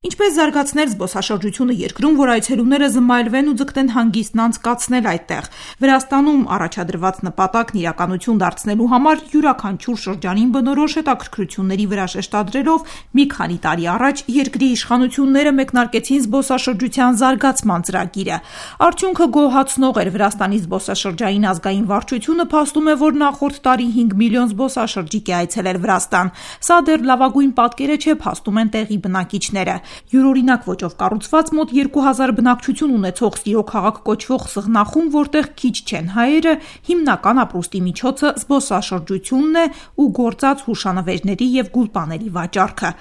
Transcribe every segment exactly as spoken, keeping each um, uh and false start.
Ինչպես զարգացնել զբոսաշրջությունը երկրում, որ այցելուները զմայլվեն ու ձգտեն հանգիստն անցկացնել այդտեղ։ Վրաստանում առաջադրված նպատակն իրականություն դարձնելու համար յուրաքանչյուր շրջանին բնորոշ հետաքրքրությունների վրա շեշտադրելով մի քանի տարի առաջ երկրի իշխանությունները մեկնարկեցին զբոսաշրջության զարգացման ծրագիրը։ Արդյունքը գոհացնող էր։ Վրաստանի զբոսաշրջային ազգային վարչությունը փաստում է, որ նախորդ տարի հինգ միլիոն զբոսաշրջիկ է այցելել Վրաստան։ Սա դեռ լավագույն պատկերը չէ, փաստում են տեղի բնակիչները։ Յուրօրինակ ոճով կառուցված մոտ երկու հազար բնակչություն ունեցող Սիրո քաղաք կոչվող Սղնախում, որտեղ քիչ չեն հայերը, հիմնական ապրուստի միջոցը զբոսաշրջությունն է ու գործած հուշանվերների և գուլպաների վաճառքը։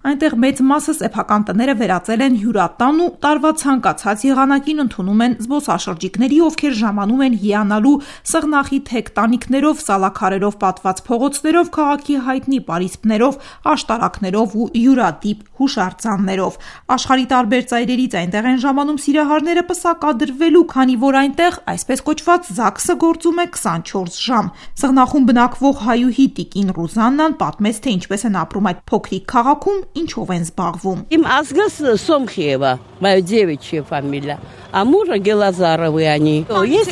Այնտեղ մեծ մասը սեփական տները վերածել են հյուրատան ու տարվա ցանկացած եղանակին ընդունում են զբոսաշրջիկների, ովքեր ժամանում են հիանալու Սղնախի թեք տանիքներով, սալաքարերով պատված փողոցներով, քաղաքի հայտնի պարիսպներով, աշտարակներով ու յուրատիպ հուշարձաններով։ Աշխարհի տարբեր ծայրերից այնտեղ են ժամանում սիրահարները պսակադրվելու, քանի որ այնտեղ այսպես կոչված ԶԱԳՍ-ը գործում է քսանչորս ժամ։ Սղնախում բնակվող հայուհի Տիկին Ռուզաննան պատմեց, թե ինչպես են ապրում այդ փոքրիկ քաղաքում, ինչով են զբաղվում։ Իմ ազգը Սոմխիևա, моя девичья фамилия, а мужа Գելազարովի они։ Ես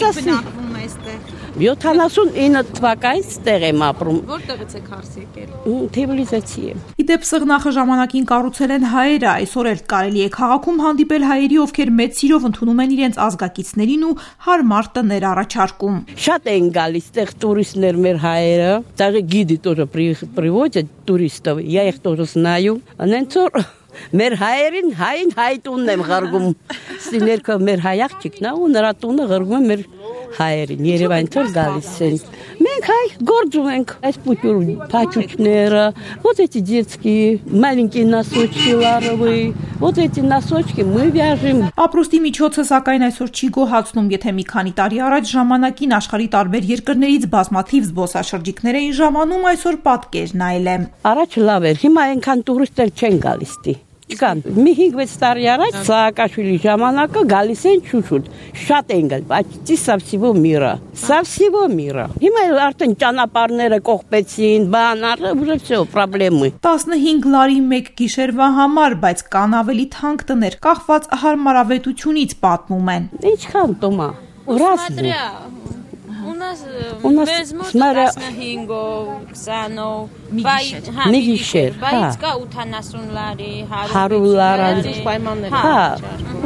յոթանասունինը թվականից տեղ եմ ապրում։ Որտեղից եք հարս եկել։ Թբիլիսիից եմ։ Իդեպ Սղնախը ժամանակին կառուցել են հայերը, այսօր էլ կարելի է քաղաքում հանդիպել հայերի, ովքեր մեծ սիրով ընդունում են իրենց ազգակիցներին ու հարմար տներ առաջարկում։ Շատ են գալիս տեղ տուրիստներ մեր հայերը, даже гиды тоже приводят туристов, я их тоже знаю։ Անենցոր մեր հայերին հային հայտունն եմ ղրգում։ Սիներքը մեր հայ աղջիկն է ու նրա տունը ղրգում է մեր հայերին, Երևան թող գալիս են։ Մենք հայ գործում ենք այս պուտյուր փաչուկները, вот эти детские маленькие носочки ларовые, вот эти носочки мы вяжем։ Ապրուստի միջոցը սակայն այսօր չի գոհացնում, եթե մի քանի տարի առաջ ժամանակին աշխարհի տարբեր երկրներից բազմաթիվ զբոսաշրջիկներ էին ժամանում, այսօր պատկերն այլ է։ Առաջ լավ էր, հիմա այնքան տուրիստներ չեն գալիս տի։ Կան մի հինգ-վեց տարի առաջ Սաակաշվիլի ժամանակը գալիս են շուշուտ, շատ են գալ, почти со всего мира, со всего мира։ Հիմա արդեն ճանապարհները կողպեցին, բան, уже всё, проблемы։ տասնհինգ լարի մեկ գիշերվա համար, բայց կան ավելի թանկ տներ, կախված հարմարավետությունից պատմում են։ Ինչքան տոմա։ Разные։ У нас У нас смотря տասնհինգով, քսանով, մի գիշեր, բայց կա ութանասուն լարի, հարյուր լարի պայմաններ։ Հա,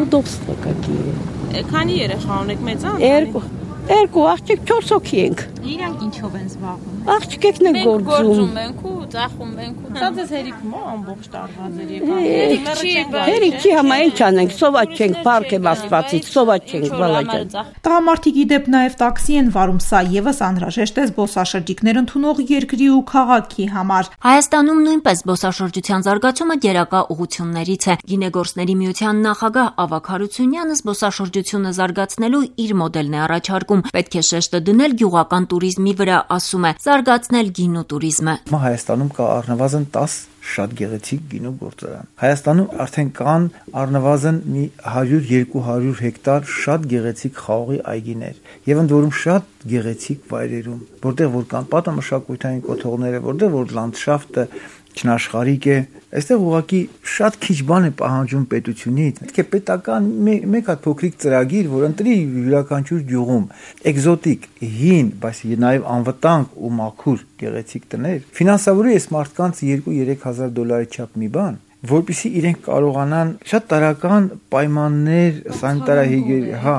удобства какие։ Քանի երեխա ունեք, մեծան։ Երկու, երկու աղջիկ չորս հոգի ենք։ Իրանք ինչով են զբաղվում։ Աղջիկներն են գործում։ Գործում ենք ու ծախում ենք ու։ Սա ձեզ հերիք մո ամբողջ տարվա ձեր եկան։ Հերիք չի համա ինչ անենք, սոված չենք, պարկ եմ ասվածից, սոված չենք, բալաջան։ Տղամարդիկ իդեպ նաև տաքսի են վարում, սա եւս անհրաժեշտ է զբոսաշրջիկներ ընդունող երկրի ու քաղաքի համար։ Հայաստանում նույնպես զբոսաշրջության զարգացումը գերակա ուղղություններից է։ Գինեգործների միության նախագահ Ավագ Հարությունյանը զբոսաշրջությունը զարգացնելու իր մոդելն է առաջարկում։ Պետք է շեշտը դնել գյուղական туриզմի վրա, ասում է, զարգացնել գինու туриզմը։ Հայաստանում կա առնվազն տաս շատ գեղեցիկ գինու գործարան։ Հայաստանում արդեն կան առնվազն մի հարյուր երկու հարյուր հեկտար շատ գեղեցիկ խաղողի այգիներ եւ ընդ որում շատ գեղեցիկ վայրերում, որտեղ որ կան պատմամշակութային կոթողները, որտեղ որ լանդշաֆտը չնաշխարհիկ է, այստեղ ուղղակի շատ քիչ բան է պահանջում պետությունից։ Պետք է պետական մեկ հատ փոքրիկ ծրագիր, որ ընտրի յուրաքանչյուր գյուղում էկզոտիկ, հին, բայց նաև անվտանգ ու մաքուր գեղեցիկ տներ, ֆինանսավորի այս մարդկանց երկու-երեք հազար դոլարի չափ մի բան, որպեսզի իրենք կարողանան շատ տարական պայմաններ, սանիտարահիգիեն, հա,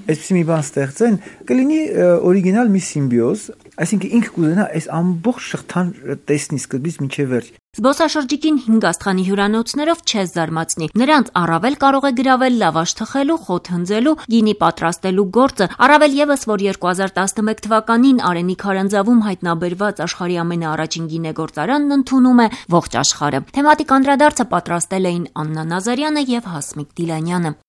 այսպեսի մի բան ստեղծեն, կլինի օրիգինալ մի սիմբիոզ, այսինքն ինքը կուզենա այս ամբողջ շղթան տեսնի սկզբից մինչև վերջ։ Զբոսաշրջիկին հինգ աստղանի հյուրանոցներով չես զարմացնի։ Նրանց առավել կարող է գրավել լավաշ թխելու, խոտ հնձելու, գինի պատրաստելու գործը, առավել եւս, որ երկու հազար տասնմեկ թվականին Արենի քարանձավում հայտնաբերված աշխարհի ամենաառաջին գինեգործարանն ընդունում է ողջ աշխարհը։ Թեմատիկ անդրադարձը պատրաստել էին Աննա Նազարյանը եւ Հասմիկ Դիլանյանը։